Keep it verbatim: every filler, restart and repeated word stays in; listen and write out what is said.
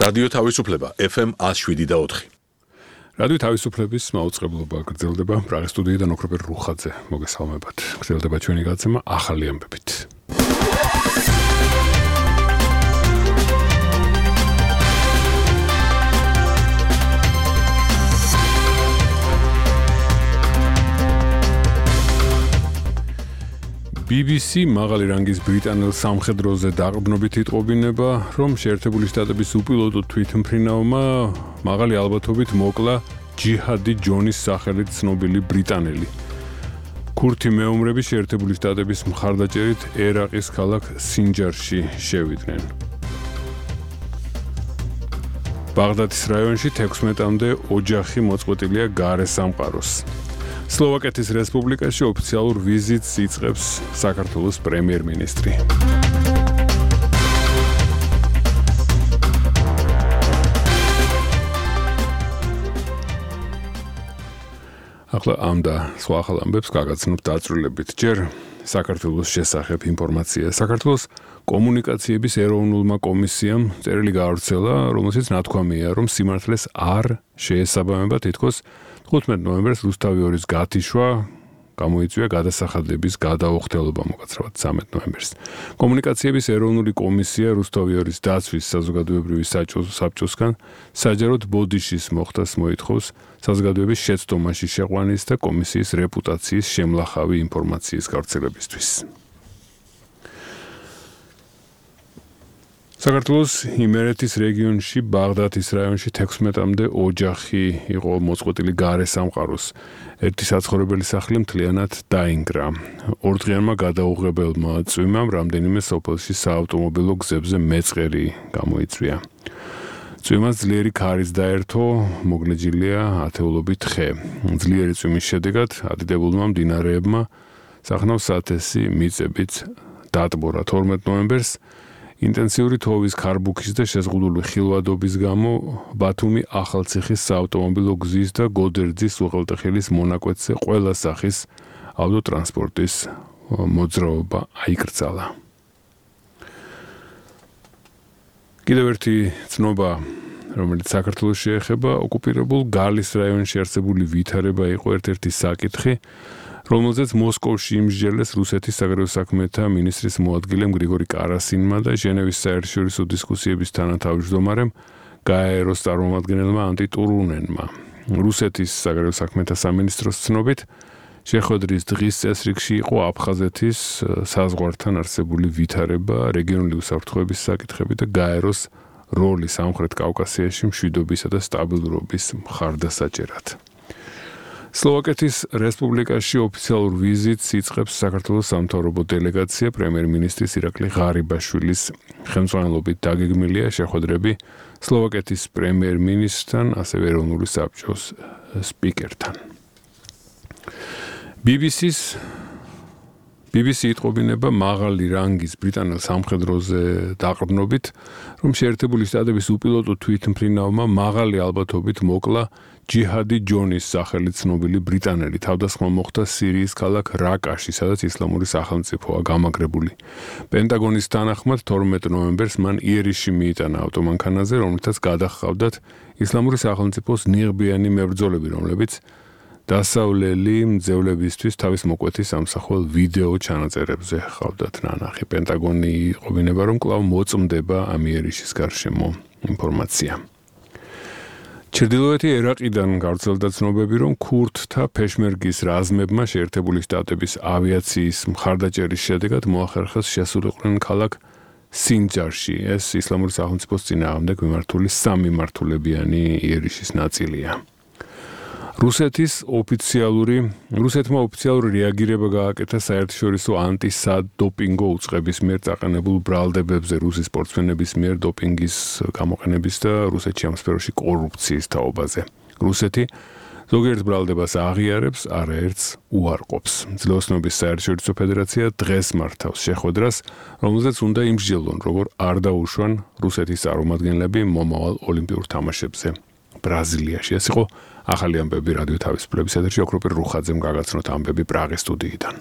რადიო თავისუფლება F M one oh seven და four. რადიო თავისუფლების მაუწყებლობა გრძელდება პრაღის სტუდიიდან ოქროპერ რუხაძე მოგესალმებათ. გრძელდება ჩვენი გაცემა ახალი ამბებით. B B C მაღალი რანგის ბრიტანელ სამხედროზე დაყრდნობით იტყობინება, რომ შეერთებული შტატების უპილოტო თვითმფრინავმა მაღალი ალბათობით მოკლა ჯიჰადი ჯონის სახელით ცნობილი ბრიტანელი. ქურთი მეომრები შეერთებული შტატების მხარდაჭერით ერაყის ქალაქ სინჯარში შევიდნენ. ბაღდადის რაიონში თექვსმეტამდე ოჯახი მოწყვეტილია გარე სამყაროს. სლოვაკეთის რესპუბლიკაში ოფიციალურ ვიზიტს იწყებს საქართველოს პრემიერ-მინისტრი. ახლა ამ და სხვა ახალ ამბებს გაგაცნობთ დაწვრილებით. ჯერ საქართველოს შესახებ ინფორმაცია. საქართველოს კომუნიკაციების ეროვნულმა კომისიამ წერილი გაავრცელა, რომელშიც ნათქვამია, რომ სიმართლეს არ შეესაბამება თითქოს თხუთმეტ ნოემბერს რუსთავი ორის გათიშვა გამოიწვია გადასახადების გადაუხდელობა მოკაცრავად ცამეტ ნოემბერს. კომუნიკაციების ეროვნული კომისია რუსთავი ორის დაცვის საზოგადოებრივი საბჭოსგან საჯაროდ ბოდიშის მოხდას მოითხოვს საზოგადოების შეცდომაში შეყვანის და კომისიის რეპუტაციის შემლახავი ინფორმაციის გავრცელებისთვის. საქართველოს იმერეთის რეგიონში ბაღდადის რაიონში თექვსმეტამდე ოჯახი იყო მოწყვეტილი გარე სამყაროს. ერთი საცხოვრებელი სახლი მთლიანად დაინგრა. ორდღიანმა გადაუღებელმა წვიმამ რამდენიმე სოფელში საავტომობილო გზებზე მეწყერი გამოიწვია. წვიმას ძლიერი ქარიც დაერთო, მოგლეჯილია ათეულობით ხე. ძლიერი წვიმის შედეგად ადიდებულმა მდინარეებმა სახნავს ათესი მიწებით დატბორა. თორმეტ ნოემბერს ინტენსიური თოვის ქარბუქის და შეზღუდული ხილვადობის გამო ბათუმი ახალციხის საავტომობილო გზის და გოდერძის უღელტეხილის მონაკვეთზე ყველა სახის ავტოტრანსპორტის მოძრაობა აიკრძალა. კიდევ ერთი ცნობა, რომელიც საქართველოს შეეხება, ოკუპირებულ გალის რაიონში არსებული ვითარება იყო ერთ-ერთი საკითხი, რომელზეც მოსკოვში იმსჯელეს რუსეთის საგარეო საქმეთა მინისტრის მოადგილემ გრიგორი კარასინმა და ჟენევის საერთაშორისო დისკუსიების თანათავმჯდომარემ გაეროს წარმომადგენელმა ანტი ტურუნენმა. რუსეთის საგარეო საქმეთა სამინისტროს ცნობით, შეხვედრის დღის წესრიგში იყო აფხაზეთის საზღვართან არსებული ვითარება, რეგიონული უსაფრთხოების საკითხები და გაეროს როლი სამხრეთ კავკასიაში მშვიდობისა და სტაბილურობის მხარდასაჭერად. სლოვაკეთის რესპუბლიკაში ოფიციალურ ვიზიტს იწყებს საქართველოს სამთავრობო დელეგაცია პრემიერ-მინისტრის ირაკლი ღარიბაშვილის ხელმძღვანელობით დაგეგმილია შეხვედრები სლოვაკეთის პრემიერ-მინისტრთან, ასევე ეროვნული საბჭოს სპიკერთან. B B C-ს B B C იტყობინება მაღალი რანგის ბრიტანელ სამხედროზე დაყრდნობით, რომ შეერთებული შტატების უპილოტო თვითმფრინავმა მაღალი ალბათობით მოკლა ჯიჰადი ჯონის სახელით ცნობილი ბრიტანელი. თავდასხმა მოხდა სირიის ქალაქ რაკაში, სადაც ისლამური სახელმწიფოა გამაგრებული. პენტაგონის თანახმად თორმეტ ნოემბერს მან იერიში მიიტანა ავტომანქანაზე, რომელთაც გადაჰყავდათ ისლამური სახელმწიფოს ნიღბიანი მებრძოლები, რომლებიც დასავლელი მძევლებისთვის თავის მოკვეთის ამსახველ ვიდეო ჩანაწერებზე ჰყავდათ ნანახი. პენტაგონი იტყობინება, რომ კვლავ მოწმდება ამ იერიშის გარშემო ინფორმაცია. ჩრდილოეთი ერაყიდან გავრცელდა ცნობები, რომ ქურთთა პეშმერგის რაზმებმა შეერთებული შტატების ავიაციის მხარდაჭერის შედეგად მოახერხეს შესულიყვნენ ქალაქ სინჯარში. ეს ისლამური სახელმწიფოს წინააღმდეგ მიმართული სამიმართულებიანი იერიშის ნაწილია. რუსეთის ოფიციალური რუსეთმა ოფიციალური რეაგირება გააკეთა საერთაშორისო ანტისადოპინგო უწყების მიერ წაყენებულ ბრალდებებზე რუსის სპორტსმენების მიერ დოპინგის გამოყენების და რუსეთში ამ სფეროში კორუფციის თაობაზე. რუსეთი ზოგიერთ ბრალდებას აღიარებს, არაერთს უარყოფს. ძლევოსნობის საერთაშორისო ფედერაცია დღეს მართავს შეხვედრას, რომელზეც უნდა იმსჯელონ, როგორ არ დაუშვან რუსეთის წარმომადგენლები მომავალ ოლიმპიურ თამაშებზე ბრაზილიაში. ეს იყო ახალი ამბები რადიო თავისუფლების ეთერში ოქროპერ რუხაძემ გაგაცნოთ ამბები პრაღის სტუდიიდან.